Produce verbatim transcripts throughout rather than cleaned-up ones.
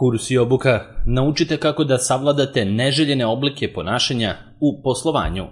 Kurs i obuka. Naučite kako da savladate neželjene oblike ponašanja u poslovanju.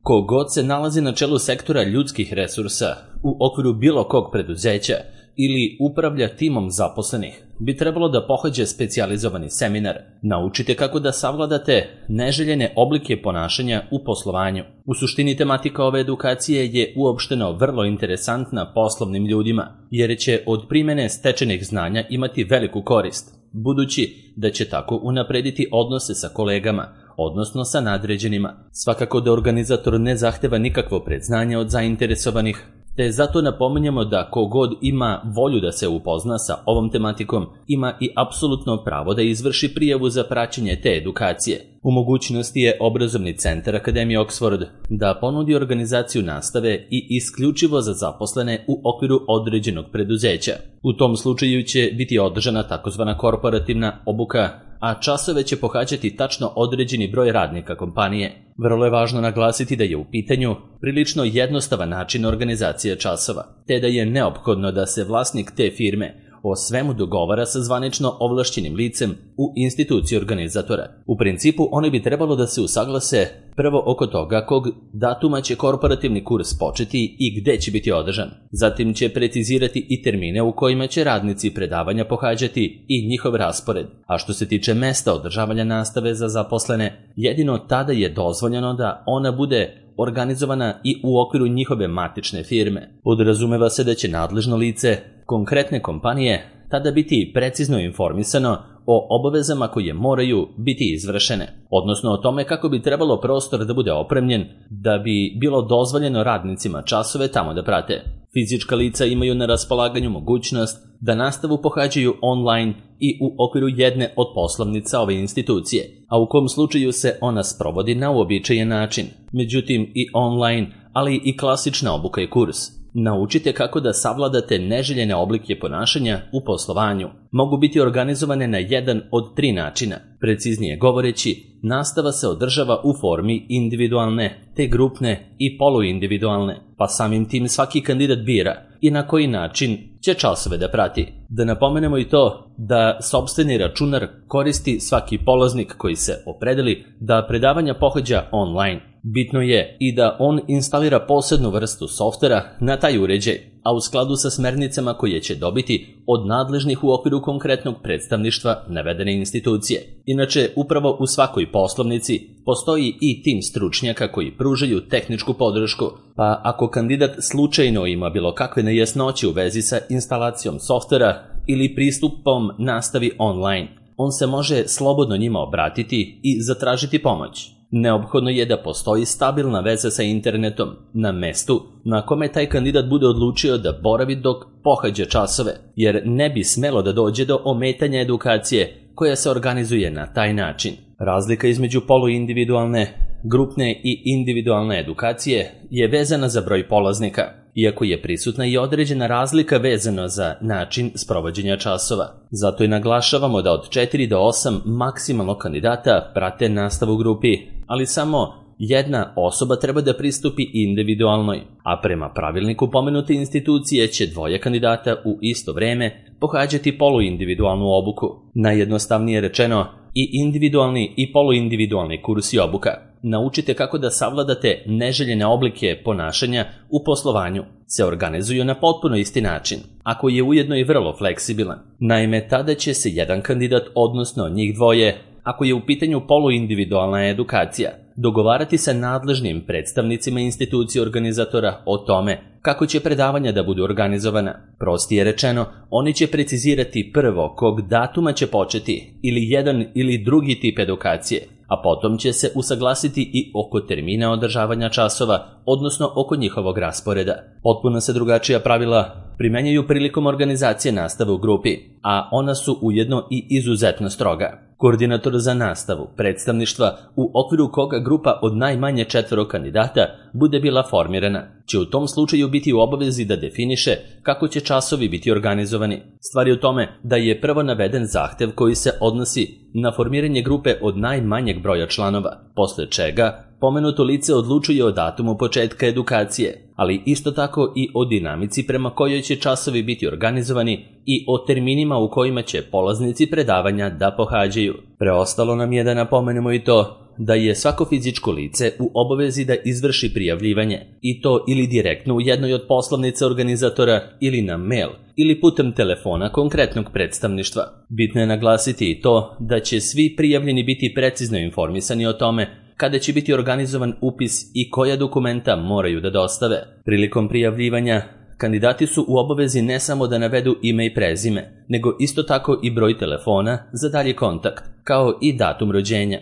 Ko god se nalazi na čelu sektora ljudskih resursa u okviru bilo kog preduzeća ili upravlja timom zaposlenih, bi trebalo da pohađa specijalizovani seminar. Naučite kako da savladate neželjene oblike ponašanja u poslovanju. U suštini tematika ove edukacije je uopšteno vrlo interesantna poslovnim ljudima, jer će od primene stečenih znanja imati veliku korist, budući da će tako unaprediti odnose sa kolegama, odnosno sa nadređenima. Svakako da organizator ne zahteva nikakvo predznanje od zainteresovanih, te zato napominjemo da kogod ima volju da se upozna sa ovom tematikom, ima i apsolutno pravo da izvrši prijavu za praćenje te edukacije. U mogućnosti je obrazovni centar Akademije Oxford da ponudi organizaciju nastave i isključivo za zaposlene u okviru određenog preduzeća. U tom slučaju će biti održana takozvana korporativna obuka, a časove će pohađati tačno određeni broj radnika kompanije. Vrlo je važno naglasiti da je u pitanju prilično jednostavan način organizacije časova, te da je neophodno da se vlasnik te firme o svemu dogovara sa zvanično ovlašćenim licem u instituciji organizatora. U principu, oni bi trebalo da se usaglase prvo oko toga kog datuma će korporativni kurs početi i gde će biti održan. Zatim će precizirati i termine u kojima će radnici predavanja pohađati i njihov raspored. A što se tiče mesta održavanja nastave za zaposlene, jedino tada je dozvoljeno da ona bude organizovana i u okviru njihove matične firme. Podrazumeva se da će nadležno lice konkretne kompanije tada biti precizno informisano o obavezama koje moraju biti izvršene, odnosno o tome kako bi trebalo prostor da bude opremljen da bi bilo dozvoljeno radnicima časove tamo da prate. Fizička lica imaju na raspolaganju mogućnost da nastavu pohađaju online i u okviru jedne od poslovnica ove institucije, a u kom slučaju se ona sprovodi na uobičajen način. Međutim, i online, ali i klasična obuka i kurs. Naučite kako da savladate neželjene oblike ponašanja u poslovanju. Mogu biti organizovane na jedan od tri načina. Preciznije govoreći, nastava se održava u formi individualne, te grupne i poluindividualne, pa samim tim svaki kandidat bira i na koji način će časove da prati. Da napomenemo i to da sopstveni računar koristi svaki polaznik koji se opredeli da predavanja pohađa online. Bitno je i da on instalira posebnu vrstu softvera na taj uređaj, a u skladu sa smernicama koje će dobiti od nadležnih u okviru konkretnog predstavništva navedene institucije. Inače, upravo u svakoj poslovnici postoji i tim stručnjaka koji pružaju tehničku podršku, pa ako kandidat slučajno ima bilo kakve nejasnoće u vezi sa instalacijom softvera ili pristupom nastavi online, on se može slobodno njima obratiti i zatražiti pomoć. Neophodno je da postoji stabilna veza sa internetom na mestu na kome taj kandidat bude odlučio da boravi dok pohađa časove, jer ne bi smelo da dođe do ometanja edukacije koja se organizuje na taj način. Razlika između poluindividualne, grupne i individualne edukacije je vezana za broj polaznika, iako je prisutna i određena razlika vezana za način sprovođenja časova. Zato i naglašavamo da od četiri do osam maksimalno kandidata prate nastavu u grupi, ali samo jedna osoba treba da pristupi individualnoj, a prema pravilniku pomenute institucije će dvoje kandidata u isto vreme pohađati poluindividualnu obuku. Najjednostavnije rečeno, i individualni i poluindividualni kurs i obuka. Naučite kako da savladate neželjene oblike ponašanja u poslovanju. Se organizuju na potpuno isti način, ako je ujedno i vrlo fleksibilan. Naime, tada će se jedan kandidat, odnosno njih dvoje, ako je u pitanju poluindividualna edukacija, dogovarati sa nadležnim predstavnicima institucije organizatora o tome kako će predavanja da budu organizovana. Prostije rečeno, oni će precizirati prvo kog datuma će početi ili jedan ili drugi tip edukacije, a potom će se usaglasiti i oko termina održavanja časova, odnosno oko njihovog rasporeda. Potpuno se drugačija pravila primenjuju prilikom organizacije nastave u grupi, a ona su ujedno i izuzetno stroga. Koordinator za nastavu predstavništva u okviru koga grupa od najmanje četvoro kandidata bude bila formirana, će u tom slučaju biti u obavezi da definiše kako će časovi biti organizovani. Stvar je u tome da je prvo naveden zahtev koji se odnosi na formiranje grupe od najmanjeg broja članova, posle čega pomenuto lice odlučuje o datumu početka edukacije, ali isto tako i o dinamici prema kojoj će časovi biti organizovani i o terminima u kojima će polaznici predavanja da pohađaju. Preostalo nam je da napomenemo i to da je svako fizičko lice u obavezi da izvrši prijavljivanje, i to ili direktno u jednoj od poslovnica organizatora ili na mail ili putem telefona konkretnog predstavništva. Bitno je naglasiti i to da će svi prijavljeni biti precizno informisani o tome kada će biti organizovan upis i koja dokumenta moraju da dostave. Prilikom prijavljivanja kandidati su u obavezi ne samo da navedu ime i prezime, nego isto tako i broj telefona za dalji kontakt, kao i datum rođenja.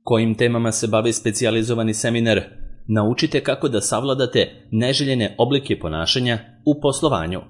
Kojim temama se bavi specijalizovani seminar? Naučite kako da savladate neželjene oblike ponašanja u poslovanju.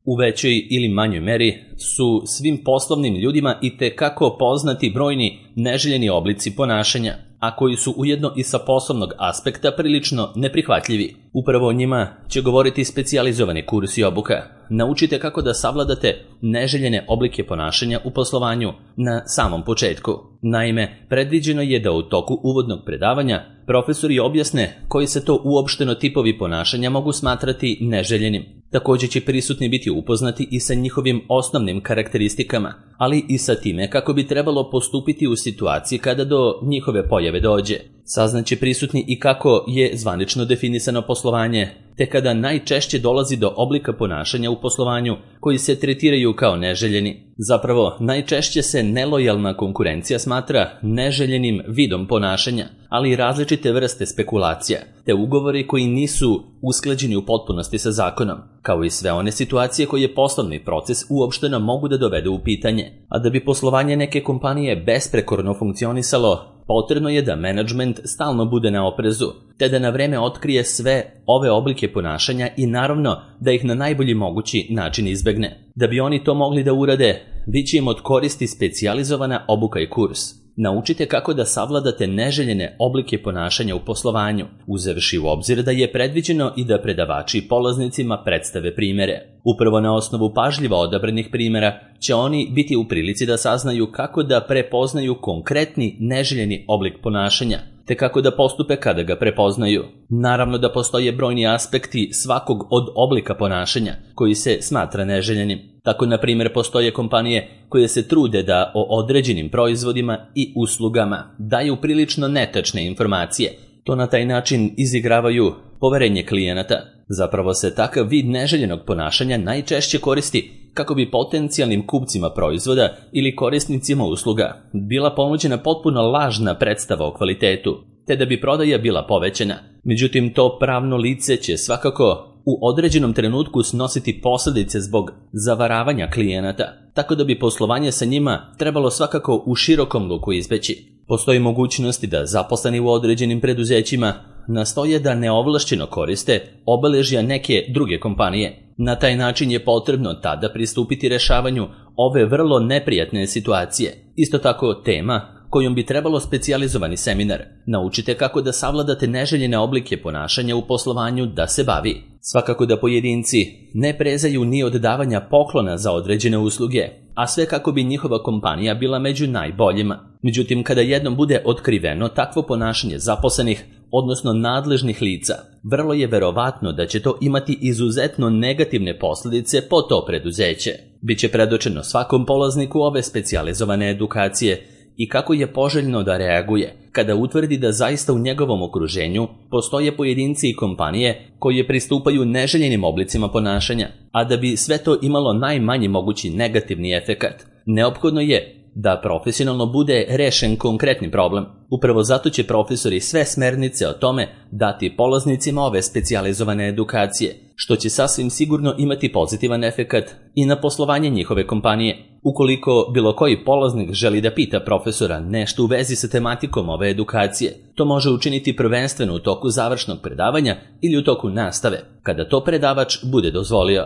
U većoj ili manjoj meri su svim poslovnim ljudima itekako poznati brojni neželjeni oblici ponašanja, a koji su ujedno i sa poslovnog aspekta prilično neprihvatljivi. Upravo o njima će govoriti specijalizovani kurs i obuka. Naučite kako da savladate neželjene oblike ponašanja u poslovanju na samom početku. Naime, predviđeno je da u toku uvodnog predavanja profesori objasne koji se to uopšteno tipovi ponašanja mogu smatrati neželjenim. Također će prisutni biti upoznati i sa njihovim osnovnim karakteristikama, ali i sa time kako bi trebalo postupiti u situaciji kada do njihove pojave dođe. Saznaće prisutni i kako je zvanično definisano poslovanje, te kada najčešće dolazi do oblika ponašanja u poslovanju koji se tretiraju kao neželjeni. Zapravo, najčešće se nelojalna konkurencija smatra neželjenim vidom ponašanja, ali i različite vrste spekulacija, te ugovori koji nisu usklađeni u potpunosti sa zakonom, kao i sve one situacije koje poslovni proces uopšteno mogu da dovedu u pitanje. A da bi poslovanje neke kompanije besprekorno funkcionisalo, potrebno je da menadžment stalno bude na oprezu, te da na vreme otkrije sve ove oblike ponašanja i naravno da ih na najbolji mogući način izbegne. Da bi oni to mogli da urade, bit će im od koristi specijalizovana obuka i kurs. Naučite kako da savladate neželjene oblike ponašanja u poslovanju, uzevši u obzir da je predviđeno i da predavači polaznicima predstave primere. Upravo na osnovu pažljivo odabranih primera će oni biti u prilici da saznaju kako da prepoznaju konkretni neželjeni oblik ponašanja, te kako da postupe kada ga prepoznaju. Naravno da postoje brojni aspekti svakog od oblika ponašanja koji se smatra neželjenim. Tako, na primjer, postoje kompanije koje se trude da o određenim proizvodima i uslugama daju prilično netačne informacije. To na taj način izigravaju poverenje klijenata. Zapravo se takav vid neželjenog ponašanja najčešće koristi kako bi potencijalnim kupcima proizvoda ili korisnicima usluga bila ponuđena potpuno lažna predstava o kvalitetu, te da bi prodaja bila povećana. Međutim, to pravno lice će svakako u određenom trenutku snositi posljedice zbog zavaravanja klijenata, tako da bi poslovanje sa njima trebalo svakako u širokom luku izbeći. Postoji mogućnosti da zaposleni u određenim preduzećima nastoje da neovlašćeno koriste obeležja neke druge kompanije. Na taj način je potrebno tada pristupiti rešavanju ove vrlo neprijatne situacije. Isto tako, tema kojom bi trebalo specijalizovani seminar. Naučite kako da savladate neželjene oblike ponašanja u poslovanju da se bavi. Svakako da pojedinci ne prezaju ni od davanja poklona za određene usluge, a sve kako bi njihova kompanija bila među najboljima. Međutim, kada jednom bude otkriveno takvo ponašanje zaposlenih, odnosno nadležnih lica, vrlo je verovatno da će to imati izuzetno negativne posljedice po to preduzeće. Biće predočeno svakom polazniku ove specijalizovane edukacije i kako je poželjno da reaguje kada utvrdi da zaista u njegovom okruženju postoje pojedinci i kompanije koje pristupaju neželjenim oblicima ponašanja, a da bi sve to imalo najmanji mogući negativni efekat, neophodno je da profesionalno bude rešen konkretni problem. Upravo zato će profesori sve smernice o tome dati polaznicima ove specijalizovane edukacije, što će sasvim sigurno imati pozitivan efekat i na poslovanje njihove kompanije. Ukoliko bilo koji polaznik želi da pita profesora nešto u vezi sa tematikom ove edukacije, to može učiniti prvenstveno u toku završnog predavanja ili u toku nastave, kada to predavač bude dozvolio.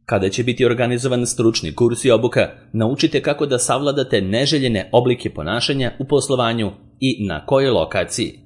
Kada će biti organizovan stručni kurs i obuka, naučite kako da savladate neželjene oblike ponašanja u poslovanju i na kojoj lokaciji.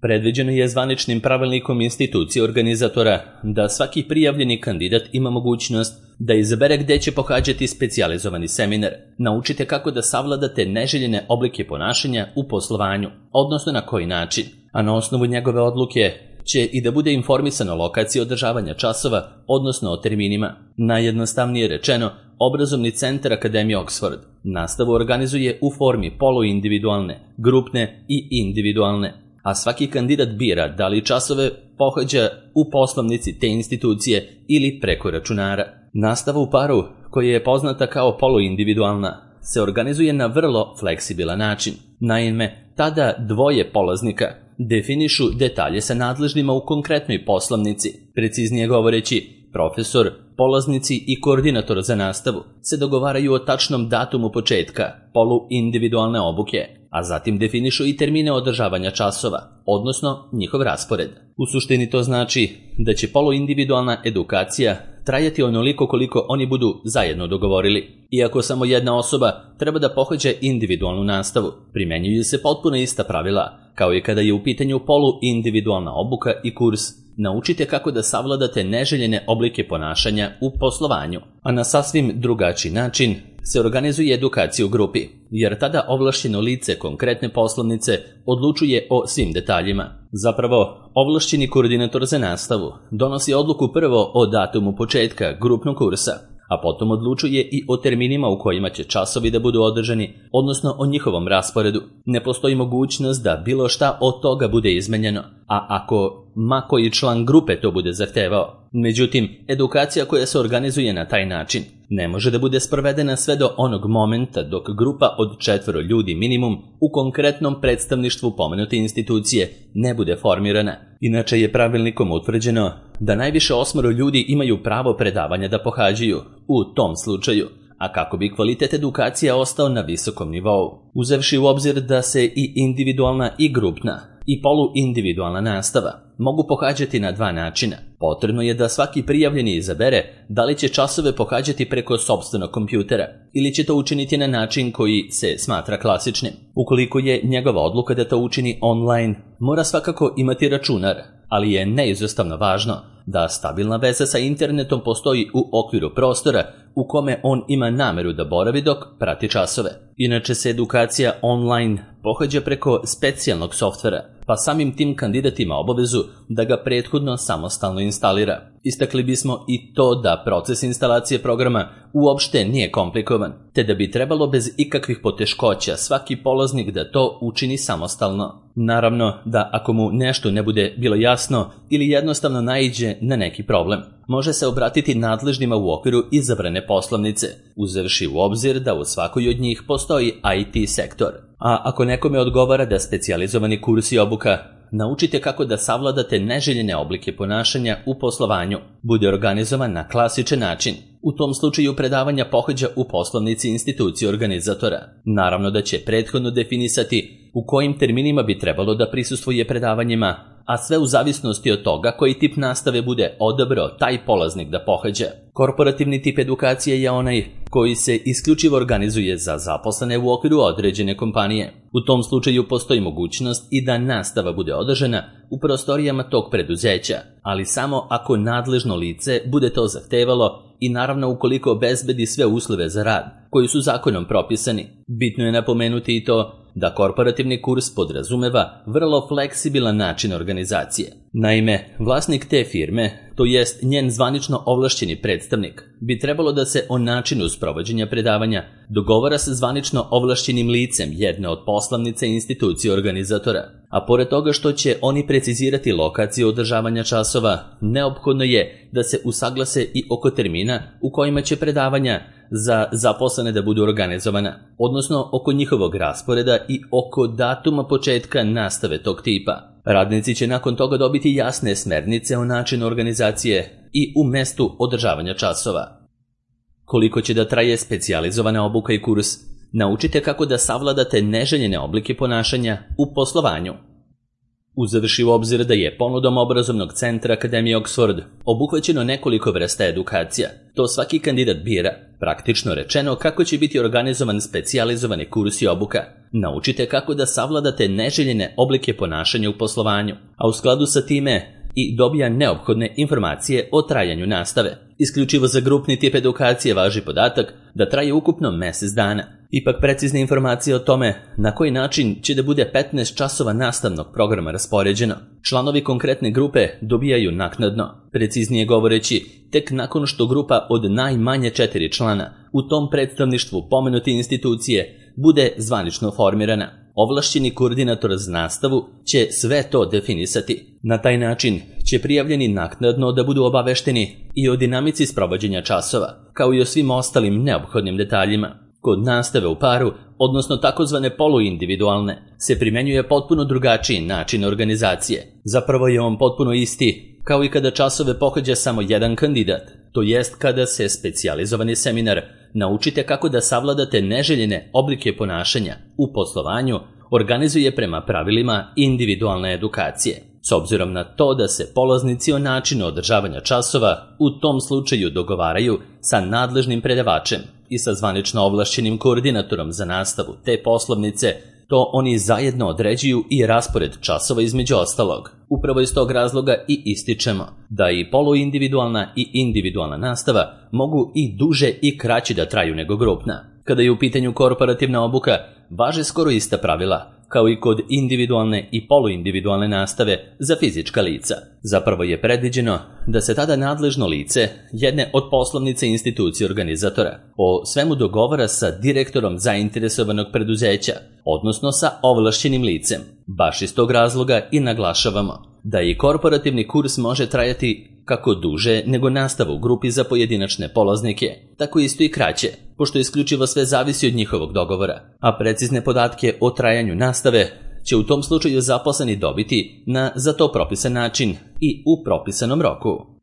Predviđeno je zvaničnim pravilnikom institucije organizatora da svaki prijavljeni kandidat ima mogućnost da izabere gde će pohađati specijalizovani seminar. Naučite kako da savladate neželjene oblike ponašanja u poslovanju, odnosno na koji način. a na osnovu njegove odluke će i da bude informisan o lokaciji održavanja časova, odnosno o terminima. Najjednostavnije rečeno, obrazovni centar Akademije Oxford nastavu organizuje u formi poluindividualne, grupne i individualne, a svaki kandidat bira da li časove pohađa u poslovnici te institucije ili preko računara. Nastava u paru, koja je poznata kao poluindividualna, se organizuje na vrlo fleksibilan način. Naime, tada dvoje polaznika definišu detalje sa nadležnima u konkretnoj poslovnici. Preciznije govoreći, profesor, polaznici i koordinator za nastavu se dogovaraju o tačnom datumu početka poluindividualne obuke, a zatim definišu i termine održavanja časova, odnosno njihov raspored. U suštini to znači da će poluindividualna edukacija trajati onoliko koliko oni budu zajedno dogovorili. Iako samo jedna osoba treba da pohađa individualnu nastavu, primenjuju se potpuno ista pravila, kao i kada je u pitanju poluindividualna obuka i kurs. Naučite kako da savladate neželjene oblike ponašanja u poslovanju, a na sasvim drugačiji način se organizuje edukacija u grupi, jer tada ovlašćeno lice konkretne poslovnice odlučuje o svim detaljima. Zapravo, ovlašćeni koordinator za nastavu donosi odluku prvo o datumu početka grupnog kursa, a potom odlučuje i o terminima u kojima će časovi da budu održani, odnosno o njihovom rasporedu. Ne postoji mogućnost da bilo šta od toga bude izmenjeno, a ako ma koji član grupe to bude zahtevao. Međutim, edukacija koja se organizuje na taj način ne može da bude sprovedena sve do onog momenta dok grupa od četvoro ljudi minimum u konkretnom predstavništvu pomenute institucije ne bude formirana. Inače je pravilnikom utvrđeno da najviše osmoro ljudi imaju pravo predavanja da pohađaju u tom slučaju, a kako bi kvalitet edukacija ostao na visokom nivou. Uzevši u obzir da se i individualna i grupna i poluindividualna nastava mogu pohađati na dva načina. Potrebno je da svaki prijavljeni izabere da li će časove pohađati preko sopstvenog kompjutera ili će to učiniti na način koji se smatra klasičnim. Ukoliko je njegova odluka da to učini online, mora svakako imati računar, ali je neizostavno važno da stabilna veza sa internetom postoji u okviru prostora u kome on ima nameru da boravi dok prati časove. Inače se edukacija online pohađa preko specijalnog softvera, pa samim tim kandidat ima obavezu da ga prethodno samostalno instalira. Istakli bismo i to da proces instalacije programa uopšte nije komplikovan, te da bi trebalo bez ikakvih poteškoća svaki polaznik da to učini samostalno. Naravno da ako mu nešto ne bude bilo jasno ili jednostavno naiđe na neki problem, može se obratiti nadležnima u okviru izabrane poslovnice, uzevši u obzir da u svakoj od njih postoji I T sektor. A ako nekome odgovara da specijalizovani kurs i obuka Naučite kako da savladate neželjene oblike ponašanja u poslovanju, bude organizovan na klasičan način. U tom slučaju predavanja pohađa u poslovnici institucije organizatora. Naravno da će prethodno definisati u kojim terminima bi trebalo da prisustvuje predavanjima, a sve u zavisnosti od toga koji tip nastave bude odabrao taj polaznik da pohađa. Korporativni tip edukacije je onaj koji se isključivo organizuje za zaposlene u okviru određene kompanije. U tom slučaju postoji mogućnost i da nastava bude održana u prostorijama tog preduzeća, ali samo ako nadležno lice bude to zahtevalo i naravno ukoliko obezbedi sve uslove za rad koji su zakonom propisani. Bitno je napomenuti i to da korporativni kurs podrazumeva vrlo fleksibilan način organizacije. Naime, vlasnik te firme, to jest njen zvanično ovlašćeni predstavnik, bi trebalo da se o načinu sprovođenja predavanja dogovara sa zvanično ovlašćenim licem jedne od poslovnice institucije organizatora. A pored toga što će oni precizirati lokaciju održavanja časova, neophodno je da se usaglase i oko termina u kojima će predavanja za zaposlene da budu organizovana, odnosno oko njihovog rasporeda i oko datuma početka nastave tog tipa. Radnici će nakon toga dobiti jasne smernice o načinu organizacije i u mestu održavanja časova. Koliko će da traje specijalizovana obuka i kurs, naučite kako da savladate neželjene oblike ponašanja u poslovanju. Uzevši u obzir da je ponudom obrazovnog centra Akademije Oxford obuhvaćeno nekoliko vrsta edukacija, to svaki kandidat bira, praktično rečeno kako će biti organizovan specijalizovani kurs i obuka. Naučite kako da savladate neželjene oblike ponašanja u poslovanju, a u skladu sa time i dobija neophodne informacije o trajanju nastave. Isključivo za grupni tip edukacije važi podatak da traje ukupno mesec dana. Ipak precizne informacije o tome na koji način će da bude petnaest časova nastavnog programa raspoređeno, članovi konkretne grupe dobijaju naknadno, preciznije govoreći, tek nakon što grupa od najmanje četiri člana u tom predstavništvu pomenute institucije bude zvanično formirana. Ovlašćeni koordinator za nastavu će sve to definisati. Na taj način će prijavljeni naknadno da budu obavešteni i o dinamici sprovođenja časova, kao i o svim ostalim neophodnim detaljima. Kod nastave u paru, odnosno takozvane poluindividualne, se primenjuje potpuno drugačiji način organizacije. Zapravo je on potpuno isti, kao i kada časove pohađa samo jedan kandidat, to jest kada se specijalizovani seminar Naučite kako da savladate neželjene oblike ponašanja u poslovanju organizuje prema pravilima individualne edukacije. S obzirom na to da se polaznici o načinu održavanja časova u tom slučaju dogovaraju sa nadležnim predavačem i sa zvanično ovlašćenim koordinatorom za nastavu te poslovnice, to oni zajedno određuju i raspored časova između ostalog. Upravo iz tog razloga i ističemo da i poluindividualna i individualna nastava mogu i duže i kraće da traju nego grupna. Kada je u pitanju korporativna obuka, važe skoro ista pravila, kao i kod individualne i poluindividualne nastave za fizička lica. Zapravo je predviđeno da se tada nadležno lice jedne od poslovnice institucije organizatora o svemu dogovara sa direktorom zainteresovanog preduzeća, odnosno sa ovlašćenim licem. Baš iz tog razloga i naglašavamo da i korporativni kurs može trajati kako duže nego nastava u grupi za pojedinačne polaznike, tako isto i kraće, pošto isključivo sve zavisi od njihovog dogovora, a precizne podatke o trajanju nastave će u tom slučaju zaposleni dobiti na za to propisan način i u propisanom roku.